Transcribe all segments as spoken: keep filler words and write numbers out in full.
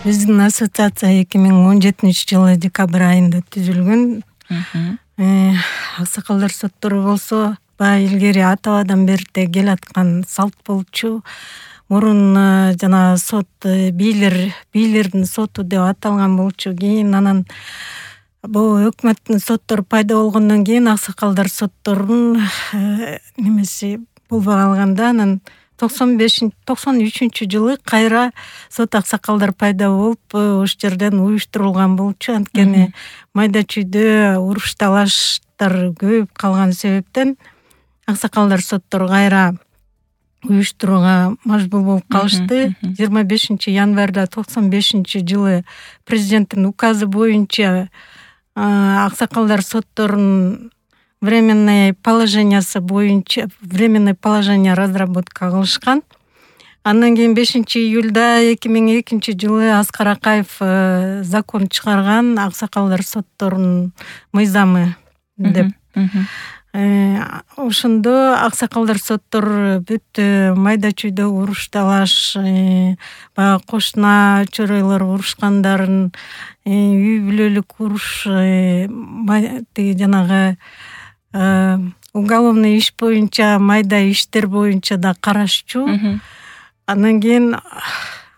Биздин ассоциация эки миң он жетинчи жылы декабрь айында түзүлгөн. Аксакалдар соттору болсо баягы илгери ата-бабадан бери кел аткан салт болчу. Мурун жана сот бийлер, бийлердин соту деп аталган болчу. Кийин анан бул өкмөттүн соттору пайда болгондон кийин аксакалдар сотторунун немеси болбой калганда анан токсон бешинчи токсон үчүнчү жылы кайра сот аксакалдар пайда болуп, ош жерден уюштурулган болчу. Анткени майда чүйдө уруш талаштар көбөйүп калган себептен аксакалдар соттору кайра уюштурууга мажбур болуп калышты. жыйырма бешинчи январда токсон бешинчи жылы президенттин указы боюнча аксакалдар сотторунун временное положениясы боюнча временное положение разработка кылышкан. Андан кийин бешинчи июлда эки миң экинчи жылы Аскар Акаев закон чыгарган, аксакалдар сотторунун мыйзамы деп. Ошондо аксакалдар соттору бүт майда чүйдө уруш талаш, баягы кошуна чоройлор урушкандарын, үй бүлөлүк уруш, тиги жанагы уголовный иш боюнча, майда иштер боюнча да карашчу. Андан кийин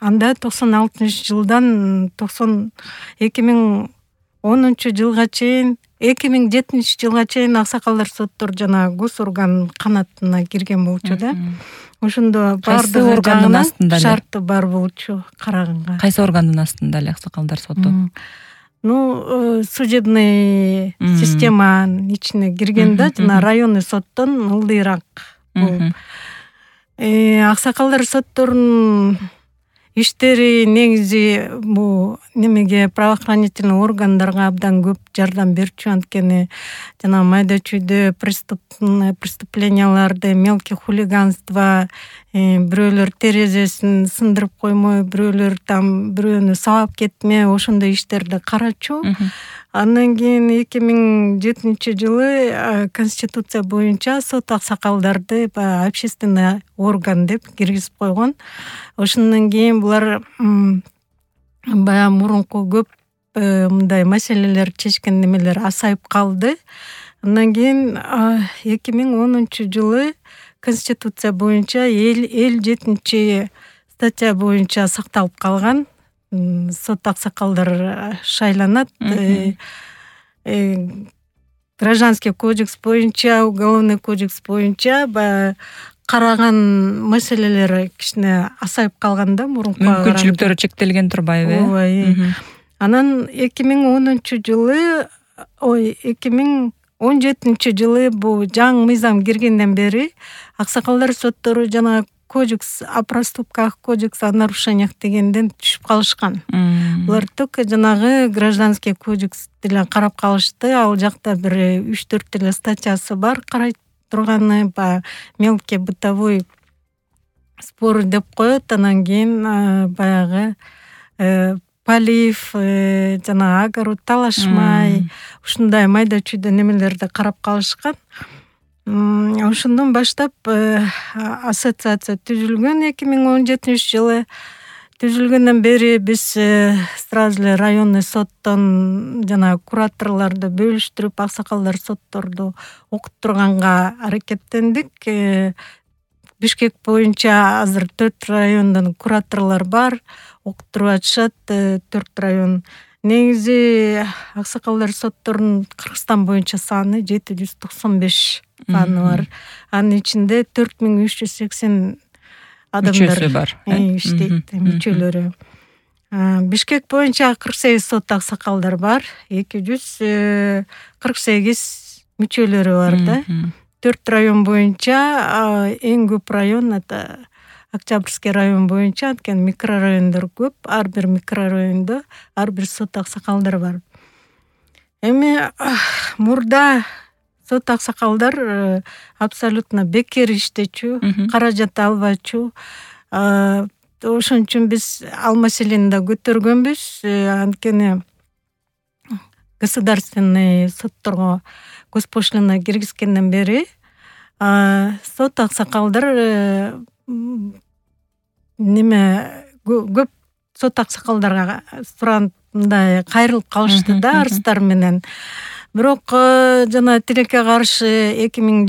анда токсон алтынчы жылдан токсон эки миң онунчу жылга чейин, эки миң жетинчи жылга чейин аксакалдар соттору жана госорган канатына кирген болчу да. Ошондо бардык органдын астында шарты бар болчу караганга. Кайсы органдын астында эле аксакалдар соту? Ну, судебный системанын ичине кирген да, жана районный соттон ылдыйраак болуп. Аксакалдар сотторунун иштери негизи бул немеге правоохранительный органдарга абдан көп жардам берчү. Анткени жана майда чүйдө преступленияларды, мелкий хулиганство, бирөөлөр терезесин сындырып коймой, бирөөлөр там бирөөнү сабап кетме, ошондой иштерди карачу. Андан кийин эки миң жетинчи жылы конституция боюнча сот аксакалдарды общественный орган деп киргизип койгон. Ошондон кийин булар баягы мурунку көп мындай маселелер чечкен немелер асайып калды. Андан кийин эки миң онунчу жылы конституция боюнча элүү жетинчи статья боюнча сакталып калган. Сот аксакалдар шайланат. Гражданский кодекс боюнча, уголовный кодекс боюнча баягы караган маселелери кичине асайып калганда мурунку мүмкүнчүлүктөрү чектелген турбайбы? Ооба. Анан эки миң онунчу жылы, ой, эки миң он жетинчи жылы бул жаңы мыйзам киргенден бери аксакалдар соттору жана кодекс о проступках, кодекс о нарушениях дегенден түшүп калышкан. Булар только жанагы гражданский кодекс деле карап калышты. Ал жакта бир үч төрт эле статьясы бар карай турганы, ба мелкий бытовой спор деп коет. Анан кийин баягы полив, жана огород талашмай, ушундай майда чүйдө немелерди карап калышкан. Ошондон баштап ассоциация түзүлгөн эки миң он жетинчи жылы. Түзүлгөндөн бери биз сразу эле районный соттон жана кураторлорду бөлүштүрүп аксакалдар сотторду окуттурганга аракеттендик. Бишкек боюнча азыр төрт райондон кураторлор бар, окуттуруп атышат. төрт район. Негизи аксакалдар сотторунун Кыргызстан боюнча саны жети жүз токсон беш саны бар. Анын ичинде төрт миң үч жүз сексен адамдар бар, иштейт, мүчөлөрү. Бишкек боюнча кырк сегиз сот аксакалдар бар, эки жүз кырк сегиз мүчөлөрү бар да. төрт район боюнча эң көп район это Октябрьский район боюнча, анткени микрорайондор көп, ар бир микрорайондо ар бир сот аксакалдар бар. Эми мурда сот аксакалдар абсолютно бекер иштечү, каражат албачу. Ошон үчүн биз ал маселени да көтөргөнбүз. Анткени государственный сотторго госпошлина киргизгенден бери сот аксакалдар неме көп сот аксакалдарга сурагандай кайрылып калышты да арыздар менен. Бирок жана тилекке каршы эки миң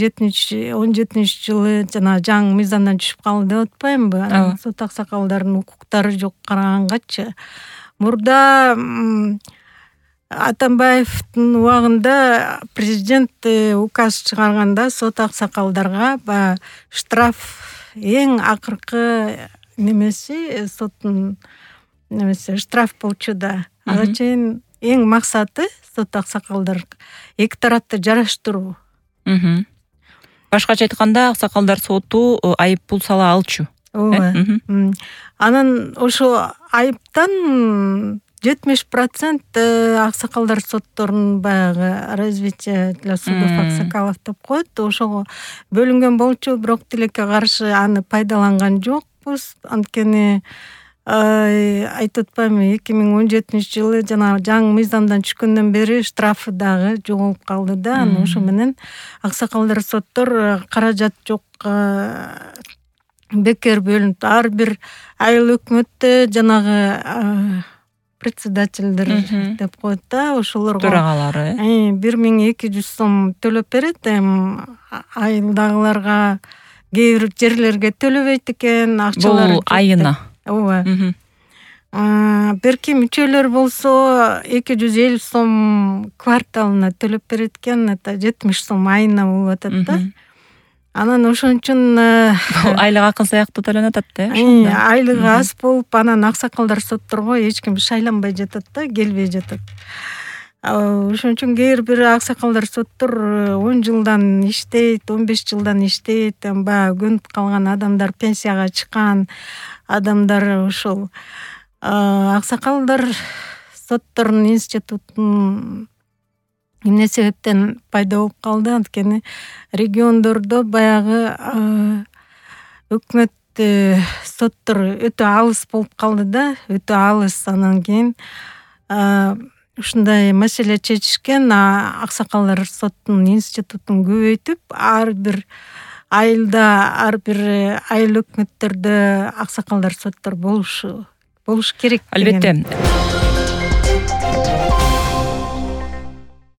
он жетинчи жылы жана жаңы мыйзамдан түшүп калды деп атпаймынбы? Сот аксакалдардын укуктары жок карагангачы. Мурда Атамбаевдин убагында президент указ чыгарганда сот аксакалдарга баягы штраф эң акыркы немеси соттун немеси штраф болчу да. Ага чейин эң максаты сот аксакалдар эки тарапты жараштыруу. Башкача айтканда аксакалдар соту айып пул сала алчу. Ооба. Анан ошо айыптан жетимиш процент аксакалдар сотторунун баягы развитие для судов аксакалов деп коет. Ошого бөлүнгөн болчу, бирок тилекке каршы аны пайдаланган жокпуз. Анткени айтып атпаймынбы, эки миң он жетинчи жылы жана жаңы мыйзамдан түшкөндөн бери штрафы дагы жоголуп калды да. Аны ошо менен аксакалдар соттор каражат жок бекер бөлүнүп, ар бир айыл өкмөттө жанагы председательдер деп коет да, ошолорго төрагалары бир миң эки жүз сом төлөп берет. Эми айылдагыларга кээ бир жерлерге төлөбөйт экен, акчалары бул айына. Ооба. Берки мүчөлөр болсо эки жүз элүү сом кварталына төлөп берет экен, это жетимиш сом айына болуп атат да. Анан ошон үчүн айлык акын сыяктуу төлөнүп атат да. Айлыгы аз болуп, анан аксакалдар сотторго эч ким шайланбай жатат да, келбей жатат. Ошон үчүн кээ бир аксакалдар соттор он жылдан иштейт, он беш жылдан иштейт, баягы көнүп калган адамдар, пенсияга чыккан адамдар ошол аксакалдар сотторунун институтун эмне себептен пайда болуп калды? Анткени региондордо баягы өкмөт соттор өтө алыс болуп калды да, өтө алыс. Анан кийин ушундай маселе чечишкен, аксакалдар соттунун институтун көбөйтүп, ар бир айылда, ар бир айыл өкмөттөрдө аксакалдар соттор болушу болуш керек. Албетте.